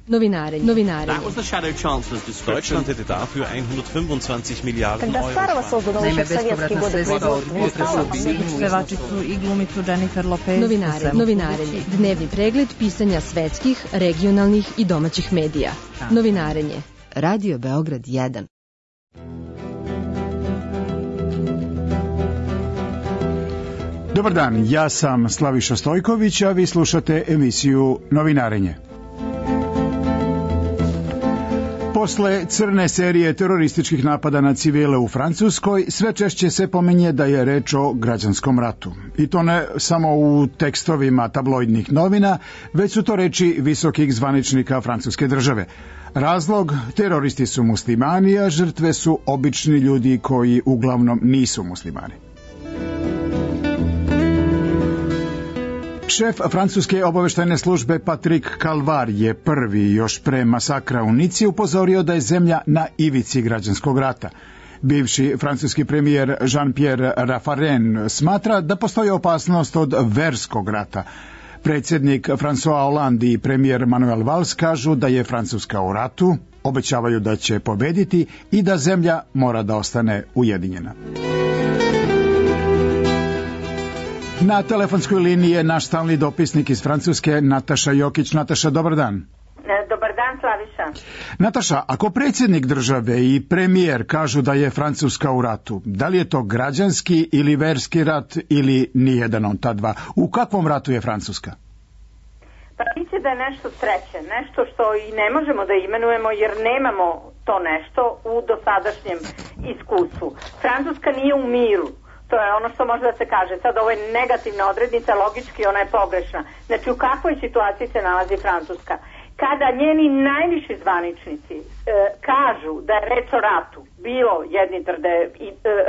Novinarenje. That was the Shadow Chancellor's description. Deutschland hätte dafür 125 Miliarden Когда старого создано еще в советские годы производства. Pevačicu i glumicu Jennifer Lopez. Novinarenje. Dnevni pregled pisanja svetskih, regionalnih i domaćih medija. Novinarenje. Radio Beograd 1. Dobar dan, ja sam Slaviša Stojković, a vi slušate emisiju Novinarenje. Posle crne serije terorističkih napada na civile u Francuskoj, sve češće se pominje da je reč o građanskom ratu. I to ne samo u tekstovima tabloidnih novina, već su to reči visokih zvaničnika francuske države. Razlog, teroristi su muslimani, a žrtve su obični ljudi koji uglavnom nisu muslimani. Šef francuske obaveštajne službe Patrick Calvar je prvi još pre masakra u Nici upozorio da je zemlja na ivici građanskog rata. Bivši francuski premijer Jean-Pierre Raffarin smatra da postoji opasnost od verskog rata. Predsjednik François Hollande i premijer Manuel Valls kažu da je Francuska u ratu, obećavaju da će pobediti i da zemlja mora da ostane ujedinjena. Na telefonskoj liniji je naš stalni dopisnik iz Francuske, Nataša Jokić. Nataša, dobar dan. Dobar dan, Slaviša. Nataša, ako predsjednik države i premijer kažu da je Francuska u ratu, da li je to građanski ili verski rat ili nijedan od ta dva? U kakvom ratu je Francuska? Pa misli da je nešto treće, nešto što i ne možemo da imenujemo jer nemamo to nešto u dosadašnjem iskustvu. Francuska nije u miru. To je ono što može da se kaže. Sad ovo je negativna odrednica, logički ona je pogrešna. Znači u kakvoj situaciji se nalazi Francuska? Kada njeni najviši zvaničnici kažu da je reč o ratu, bilo jedni tvrde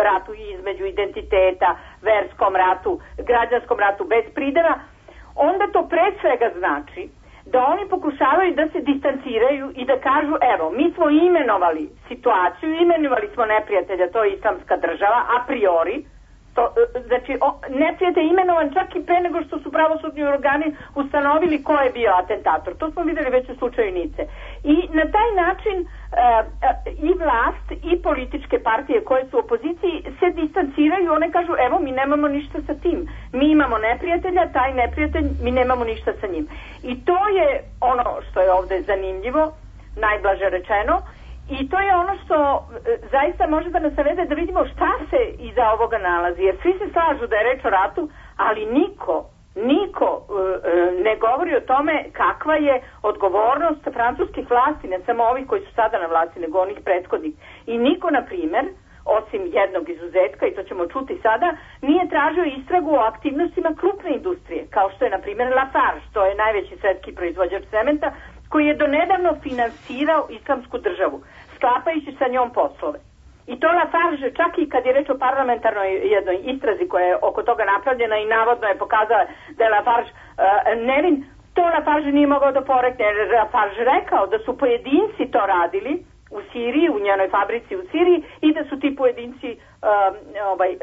ratu između identiteta, verskom ratu, građanskom ratu bez prideva, onda to pre svega znači da oni pokušavaju da se distanciraju i da kažu evo, mi smo imenovali situaciju, imenovali smo neprijatelja, to je islamska država, a priori. Znači, neprijatelj je imenovan čak i pre nego što su pravosudni organi ustanovili ko je bio atentator. To smo videli već u slučaju Nice. I na taj način i vlast i političke partije koje su u opoziciji se distanciraju, one kažu evo mi nemamo ništa sa tim. Mi imamo neprijatelja, taj neprijatelj, mi nemamo ništa sa njim. I to je ono što je ovde zanimljivo, najblaže rečeno. I to je ono što zaista može da nas savede da vidimo šta se iza ovoga nalazi. Jer svi se slažu da je reč o ratu, ali niko ne govori o tome kakva je odgovornost francuskih vlasti, ne samo ovih koji su sada na vlasti, nego onih prethodnih. I niko, na primjer, osim jednog izuzetka, i to ćemo čuti sada, nije tražio istragu o aktivnostima krupne industrije, kao što je, na primjer, Lafarge, to je najveći svetski proizvođač cementa, koji je donedavno finansirao islamsku državu, sklapajući sa njom poslove. I to Lafarge, čak i kad je reč o parlamentarnoj jednoj istrazi koja je oko toga napravljena i navodno je pokazala da je Lafarge nevin, to Lafarge nije mogao da porekne, jer Lafarge rekao da su pojedinci to radili u Siriji, u njenoj fabrici u Siriji i da su ti pojedinci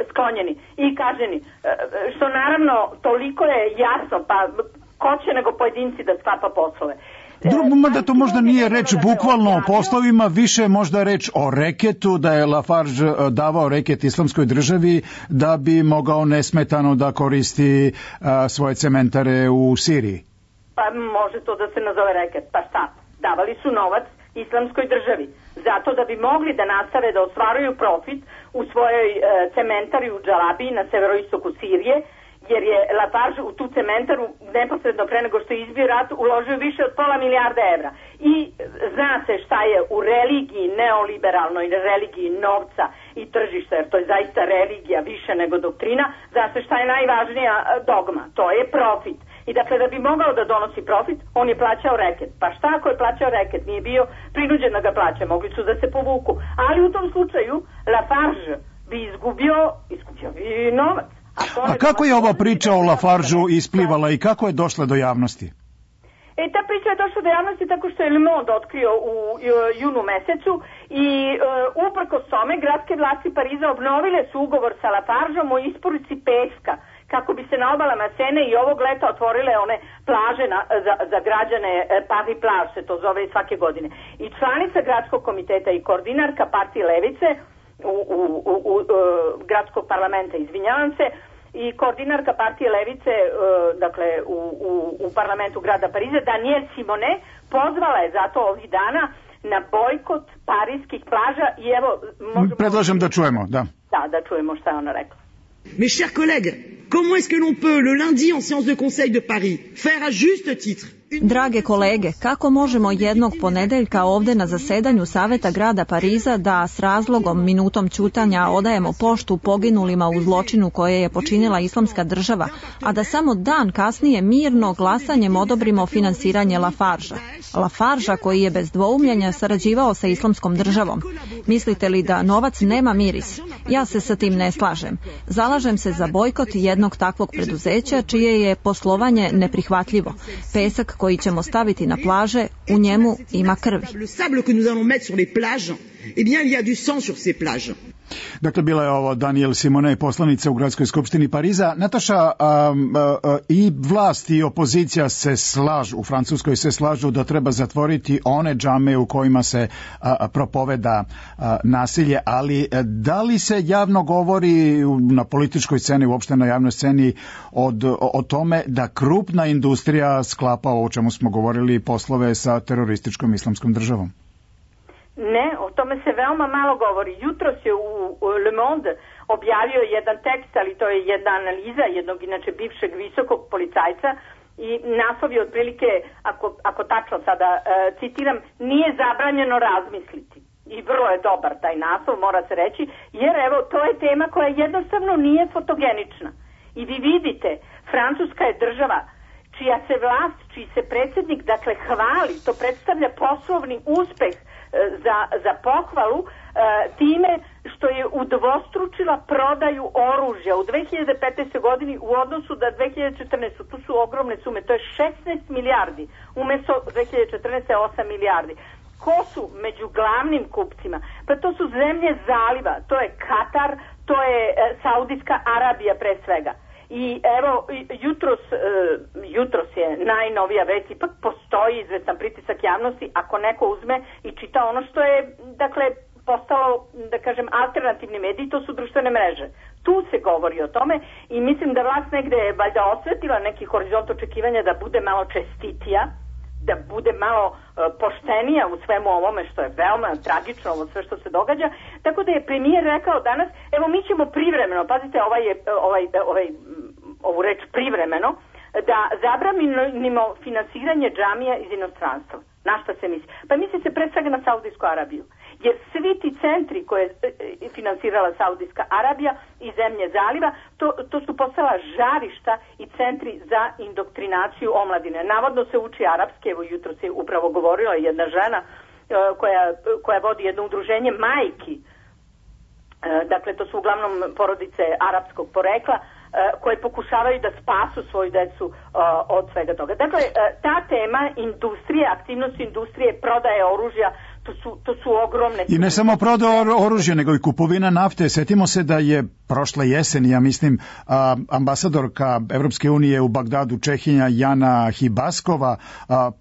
sklonjeni i kažnjeni. Što naravno toliko je jasno, pa ko će nego pojedinci da sklapa poslove. Da to možda nije reč bukvalno o poslovima, više je možda reč o reketu, da je Lafarge davao reket islamskoj državi da bi mogao nesmetano da koristi svoje cementare u Siriji. Pa može to da se nazove reket, pa šta? Davali su novac islamskoj državi, zato da bi mogli da nastave da ostvaruju profit u svojoj cementari u Džalabiji na severoistoku Sirije, jer je Lafarge u tu cementaru neposredno pre nego što je izbio rat uložio više od $500 milijarda evra. I zna se šta je u religiji neoliberalnoj, religiji novca i tržišta, jer to je zaista religija više nego doktrina, zna se šta je najvažnija dogma, to je profit. I dakle, da bi mogao da donosi profit, on je plaćao reket. Pa šta ako je plaćao reket? Nije bio prinuđen da ga plaća, mogli su da se povuku. Ali u tom slučaju Lafarge bi izgubio i novac. A kako je ova priča o Lafargeu isplivala i kako je došla do javnosti? Ta priča je došla do javnosti tako što je Le Monde otkrio u junu mesecu i uprkos tome gradske vlasti Pariza obnovile su ugovor sa Lafargeom o isporuci peska kako bi se na obalama Sene i ovog leta otvorile one plaže za građane, Paris Plage se to zove svake godine. I članica gradskog komiteta i koordinarka partije Levice u gradskog parlamenta, izvinjavam se, i koordinarka partije Levice, dakle u parlamentu grada Pariza, Danielle Simonet, pozvala je zato ovih dana na bojkot parijskih plaža i evo... Predlažem da čujemo, da. Da čujemo šta je ona rekla. Mes chers collègues, comment est-ce que l'on peut, le lundi en séance de Conseil de Paris, faire à juste titre... Drage kolege, kako možemo jednog ponedeljka ovde na zasedanju Saveta grada Pariza da s razlogom minutom ćutanja odajemo poštu poginulima u zločinu koje je počinila Islamska država, a da samo dan kasnije mirno glasanjem odobrimo finansiranje Lafargea koji je bez dvoumljenja sarađivao sa Islamskom državom? Mislite li da novac nema miris? Ja se sa tim ne slažem. Zalažem se za bojkot jednog takvog preduzeća čije je poslovanje neprihvatljivo. Pesak koji ćemo staviti na plaže, u njemu ima krvi. Dakle, bila je ovo Danielle Simonet, poslanica u Gradskoj skupštini Pariza. Nataša, i vlast i opozicija se slažu, u Francuskoj se slažu da treba zatvoriti one džame u kojima se propoveda nasilje, ali da li se javno govori na političkoj sceni, uopšte na javnoj sceni, o tome da krupna industrija sklapa, o čemu smo govorili, poslove sa terorističkom Islamskom državom? Ne, o tome se veoma malo govori. Jutros je u Le Monde objavio jedan tekst, ali to je jedna analiza jednog inače bivšeg visokog policajca i naslov je otprilike, ako tačno sada citiram, nije zabranjeno razmisliti. I vrlo je dobar taj naslov, mora se reći, jer evo, to je tema koja jednostavno nije fotogenična. I vi vidite, Francuska je država čija se vlast, čiji se predsjednik, dakle, hvali, to predstavlja poslovni uspeh za pohvalu time što je udvostručila prodaju oružja u 2015. godini u odnosu da 2014. Tu su ogromne sume, to je 16 milijardi, umjesto 2014. 8 milijardi. Ko su među glavnim kupcima? Pa to su zemlje zaliva, to je Katar, to je Saudijska Arabija pre svega. I evo, jutros je najnovija vest, ipak postoji izvestan pritisak javnosti ako neko uzme i čita ono što je, dakle, postalo, da kažem, alternativni mediji, to su društvene mreže. Tu se govori o tome i mislim da vlast negde je valjda osvetila neki horizont očekivanja da bude malo čestitija, da bude malo poštenija u svemu ovome što je veoma tragično, ovo sve što se događa. Tako da je premijer rekao danas, evo mi ćemo privremeno, pazite ovu reč privremeno, da zabranimo finansiranje džamija iz inostranstva. Na šta se misli? Pa misli se pre svega na Saudijsku Arabiju. Jer svi ti centri koje je finansirala Saudijska Arabija i zemlje zaliva, to su postala žarišta i centri za indoktrinaciju omladine. Navodno se uči arapski, evo jutro se upravo govorila jedna žena koja vodi jedno udruženje majki, dakle to su uglavnom porodice arapskog porekla, koje pokušavaju da spasu svoju decu od svega toga. Dakle, ta tema industrije, aktivnosti industrije, prodaje oružja, to su ogromne... I ne samo prodaja oružja, nego i kupovina nafte. Setimo se da je prošle jeseni, ja mislim, ambasadorka Evropske unije u Bagdadu, Čehinja Jana Hibaskova,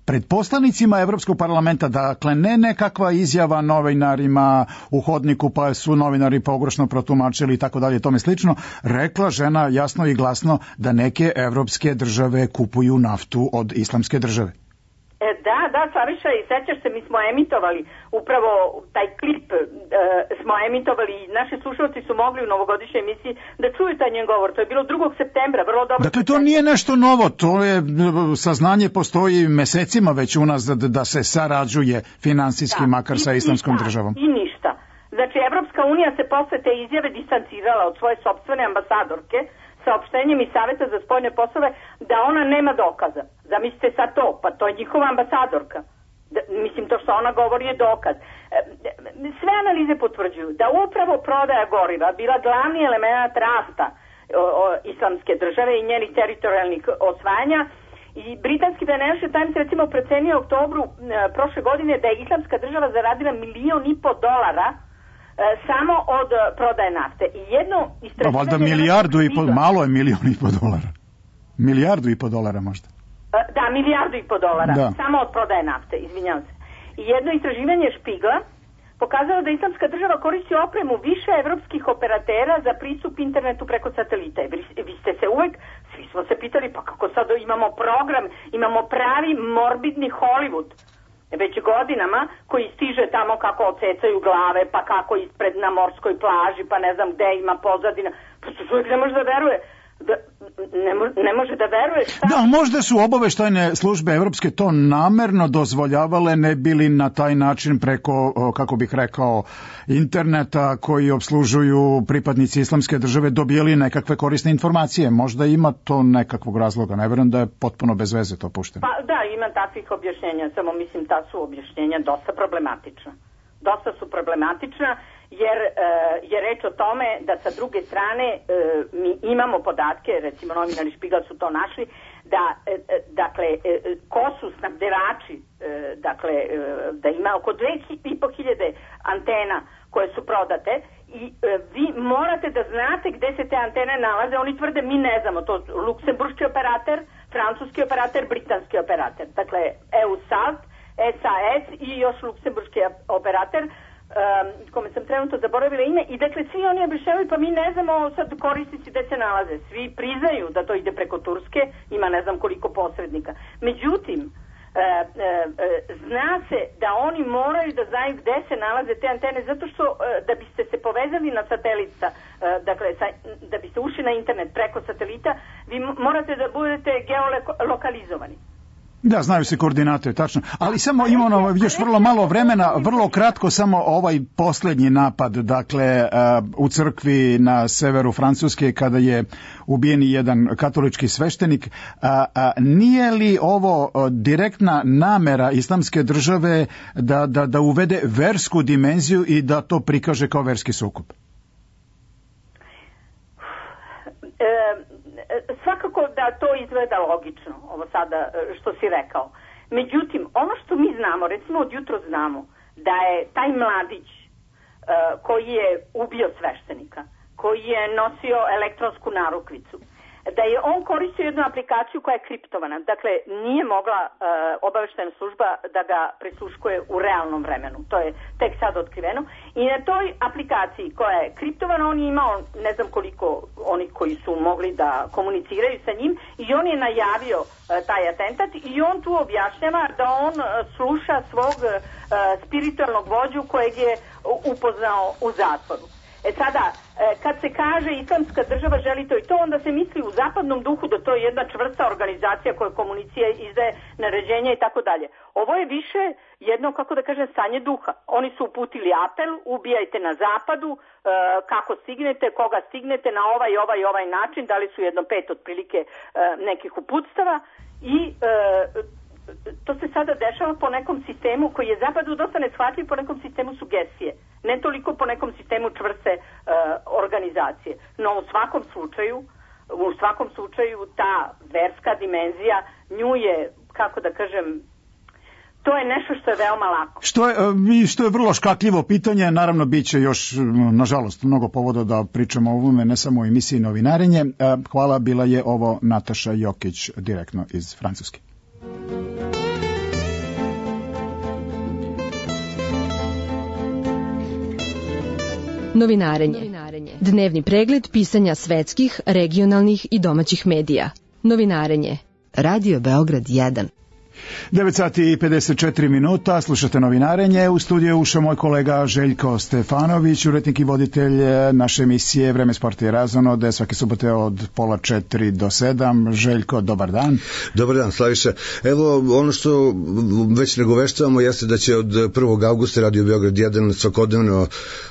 pred poslanicima Evropskog parlamenta, dakle ne nekakva izjava novinarima u hodniku pa su novinari pogrešno protumačili i tako dalje, tome slično, rekla žena jasno i glasno da neke evropske države kupuju naftu od Islamske države. Da, Slaviša, i sećaš se, mi smo emitovali upravo taj klip, smo emitovali i naši slušalci su mogli u novogodišnjoj emisiji da čuju taj njen govor. To je bilo 2. septembra, vrlo dobro. Dakle, to nije nešto novo, to je saznanje postoji mesecima već u nas da se sarađuje finansijski makar sa Islamskom državom. I ništa. Znači, Evropska unija se posle te izjave distancirala od svoje sopstvene ambasadorke saopštenjem iz Saveta za spoljne poslove da ona nema dokaza. Zamislite sad to, pa to je njihova ambasadorka. Mislim, to što ona govori je dokaz. Sve analize potvrđuju da upravo prodaja goriva bila glavni element rasta Islamske države i njenih teritorijalnih osvajanja. I britanski Financial Times recimo procenio u oktobru prošle godine da je Islamska država zaradila $1,5 miliona samo od prodaje nafte. I jedno istraživanje... Valjda milijardu i po, malo je $1,5 miliona. $1,5 možda. Da, $1,5 da. Samo od prodaje nafte, izvinjavam se. I jedno istraživanje Špigla pokazalo da Islamska država koristi opremu više evropskih operatera za pristup internetu preko satelita. Vi ste se uvek, svi smo se pitali, pa kako sad imamo program, imamo pravi morbidni Hollywood već godinama koji stiže tamo kako ocecaju glave, pa kako ispred na morskoj plaži, pa ne znam gde ima pozadina. Prosto čovjek ne može da veruje. Ne može da veruje šta... Da, možda su obaveštajne službe evropske to namerno dozvoljavale, ne bili na taj način preko, kako bih rekao, interneta koji obslužuju pripadnici Islamske države dobijeli nekakve korisne informacije. Možda ima to nekakvog razloga, ne verujem da je potpuno bez veze to pušteno. Pa da, ima takvih objašnjenja, samo mislim ta su objašnjenja dosta problematična. Dosta su problematična jer je reč o tome da sa druge strane mi imamo podatke, recimo novinari Špigal su to našli, da dakle ko su snabdevači, dakle da ima oko 2.500 antena koje su prodate i vi morate da znate gde se te antene nalaze. Oni tvrde mi ne znamo, to luksemburški operator, francuski operator, britanski operator, dakle EUSALT, SAS i još luksemburški operator, kome sam trenutno zaboravila ime, i dakle svi oni objašnjavaju pa mi ne znamo sad korisnici gde se nalaze, svi priznaju da to ide preko Turske, ima ne znam koliko posrednika. Međutim, zna se da oni moraju da znaju gde se nalaze te antene, zato što da biste se povezali na satelita, dakle da biste ušli na internet preko satelita, vi morate da budete geolokalizovani. Da, znaju se koordinate, tačno. Ali samo imamo još vrlo malo vremena, vrlo kratko samo ovaj posljednji napad, dakle u crkvi na severu Francuske kada je ubijen jedan katolički sveštenik. Nije li ovo direktna namera Islamske države da uvede versku dimenziju i da to prikaže kao verski sukob? Svakako da to izgleda logično, ovo sada što si rekao. Međutim, ono što mi znamo, recimo od jutro znamo, da je taj mladić koji je ubio sveštenika, koji je nosio elektronsku narukvicu, da je on koristio jednu aplikaciju koja je kriptovana. Dakle, nije mogla obaveštajna služba da ga prisluškuje u realnom vremenu. To je tek sad otkriveno. I na toj aplikaciji koja je kriptovana, on je imao ne znam koliko oni koji su mogli da komuniciraju sa njim i on je najavio taj atentat i on tu objašnjava da on sluša svog spiritualnog vođu kojeg je upoznao u zatvoru. Sada, kad se kaže Islamska država želi to i to, onda se misli u zapadnom duhu da to je jedna čvrsta organizacija koja komunicira, izdaje naređenja i tako dalje. Ovo je više jedno, kako da kažem, stanje duha. Oni su uputili apel, ubijajte na zapadu, kako stignete, koga stignete, na ovaj način, dali su 1/5 otprilike nekih uputstava i... to se sada dešava po nekom sistemu koji je zapadu dosta neshvatljiv, po nekom sistemu sugestije. Ne toliko po nekom sistemu čvrste organizacije. No u svakom slučaju ta verska dimenzija nju je, kako da kažem, to je nešto što je veoma lako. Što je vrlo škakljivo pitanje, naravno bit će još, nažalost, mnogo povoda da pričamo o ovome, ne samo u emisiji Novinarenje. Hvala, bila je ovo Nataša Jokić, direktno iz Francuske. Novinarenje. Dnevni pregled pisanja svetskih, regionalnih i domaćih medija. Novinarenje. Radio Beograd 1. 9:54, slušate Novinarenje, u studiju ušao moj kolega Željko Stefanović, urednik i voditelj naše emisije Vreme sporta i razonode, svake subote od 3:30 do 7. Željko, dobar dan. Dobar dan, Slaviša. Evo, ono što već nagoveštavamo jeste da će od 1. augusta Radio Beograd 1 svakodnevno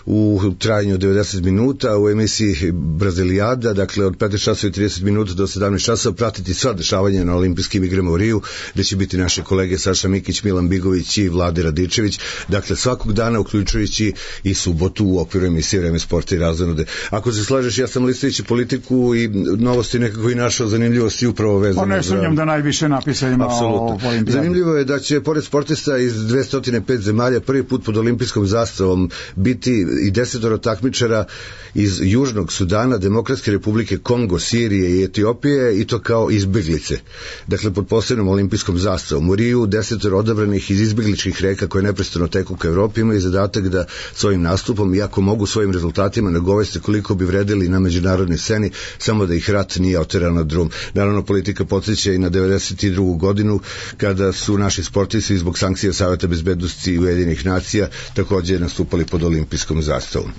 u trajanju 90 minuta u emisiji Brazilijada, dakle od 15:30 do 17 časova pratiti sva dešavanja na olimpijskim igrama u Riju, gde će biti pozdraviti naše kolege Saša Mikić, Milan Bigović i Vlade Radičević. Dakle, svakog dana, uključujući i subotu u okviru emisije Vreme sporta i razonode. Ako se slažeš, ja sam listajući Politiku i Novosti nekako i našao zanimljivosti upravo vezano. Ne sumnjam da najviše napisa ima o olimpijadi. Zanimljivo je da će pored sportista iz 205 zemalja prvi put pod olimpijskom zastavom biti i 10 takmičara iz Južnog Sudana, Demokratske republike Kongo, Sirije i Etiopije, i to kao izbeglice. Dakle, pod posebnom olimpijskom zastavom. U Riju 10 odabranih iz izbegličkih reka koje neprestano teku ka Evropi imaju zadatak da svojim nastupom, iako mogu svojim rezultatima nagoveste koliko bi vredeli na međunarodnoj sceni, samo da ih rat nije oterao na drum. Naravno, Politika podsjeća i na 92. godinu kada su naši sportisti zbog sankcija Saveta bezbednosti Ujedinjenih nacija takođe nastupali pod olimpijskom zastavom.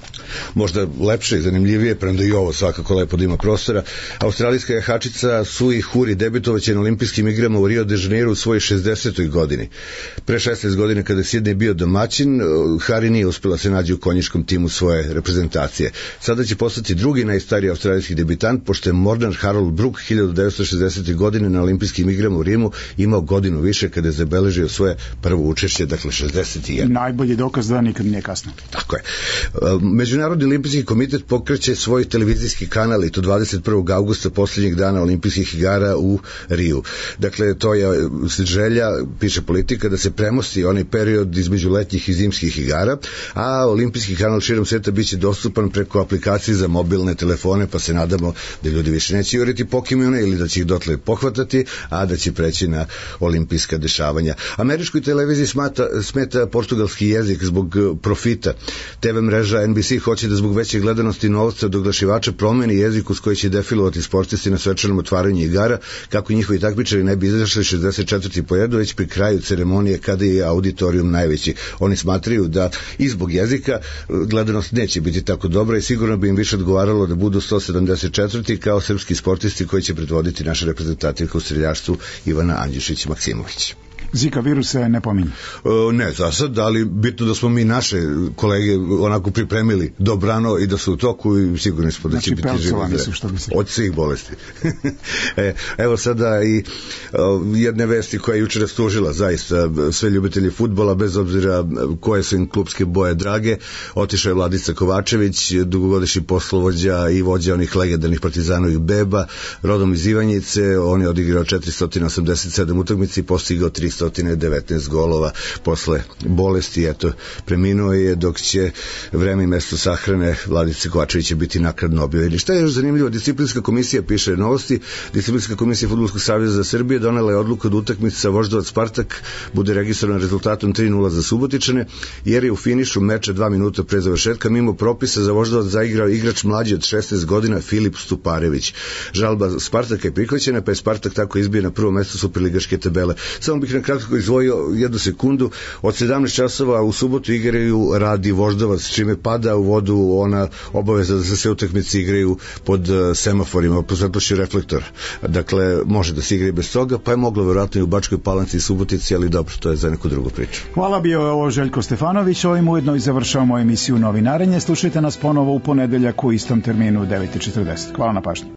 Možda lepše i zanimljivije, premda i ovo svakako lepo da ima prostora, australijska jahačica Sui Huri debitovaće na olimpijskim igrama u Rio de Janeiro u svojoj 60. godini. Pre 16 godina kada je Sidney bio domaćin, Hari nije uspela se nađe u konjičkom timu svoje reprezentacije. Sada će postati drugi najstariji australijski debitant, pošto je Morgan Harold Brook 1960. godine na olimpijskim igrama u Rimu imao godinu više kada je zabeležio svoje prvo učešće, dakle 61. Najbolji dokaz da nikad nije kasno. Tako je. Međunarodni olimpijski komitet pokreće svoj televizijski kanal i to 21. augusta, posljednjeg dana olimpijskih igara u Riju. Dakle, to je želja, piše Politika, da se premosti onaj period između letnjih i zimskih igara, a olimpijski kanal širom sveta biće dostupan preko aplikacije za mobilne telefone, pa se nadamo da ljudi više neće juriti Pokemone ili da će ih dotle pohvatati, a da će preći na olimpijska dešavanja. Američkoj televiziji smeta portugalski jezik zbog profita. TV mreža NBC hoće da zbog veće gledanosti novca od oglašivača promeni jezik uz koji će defilovati sportisti na svečanom otvaranju igara, kako njihovi takmičari ne bi izašli 64. po redu, već pri kraju ceremonije kada je auditorijum najveći. Oni smatraju da i zbog jezika gledanost neće biti tako dobra i sigurno bi im više odgovaralo da budu 174. kao srpski sportisti koji će predvoditi naša reprezentativka u streljaštvu Ivana Andjušić-Maksimović. Zika virus se ne pominje. Ne, za sad, ali bitno da smo mi naše kolege onako pripremili dobrano i da su u toku i sigurno smo da će biti živi od svih bolesti. Evo sada i jedne vesti koja je jučer rastužila zaista sve ljubitelji fudbala, bez obzira koje su im klubske boje drage. Otišao je Vladica Kovačević, dugogodišnji poslovođa i vođa onih legendarnih Partizanovih beba, rodom iz Ivanjice. On je odigrao 487 utakmica i postigao 319 golova posle bolesti. Eto, preminuo je, dok će vreme i mesto sahrane Vladice Kovačevića biti naknadno objavljeni. Šta je još zanimljivo? Disciplinska komisija, piše Novosti, Disciplinska komisija Fudbalskog saveza za Srbije donela je odluku da utakmica Voždovac Spartak bude registrovana rezultatom 3:0 za Subotičane, jer je u finišu meča 2 minuta pre završetka mimo propisa za Voždovac zaigrao igrač mlađi od 16 godina Filip Stuparević. Žalba Spartaka je prihvaćena, pa je Spartak tako izbio na prvo mesto superligaške tabele. Samo bih na kratko izdvojio 1 sekundu. Od 17 časova u subotu igraju Rad i Voždovac, čime pada u vodu ona obaveza da se sve utakmice igraju pod semaforima, pod svetlošću reflektora. Dakle, može da se igra i bez toga, pa je moglo verovatno i u Bačkoj Palanci i Subotici, ali dobro, to je za neku drugu priču. Hvala, bio je ovo Željko Stefanović. Ovim ujedno i završavamo emisiju Novinarenje. Slušajte nas ponovo u ponedeljak u istom terminu u 9:40. Hvala na pažnji.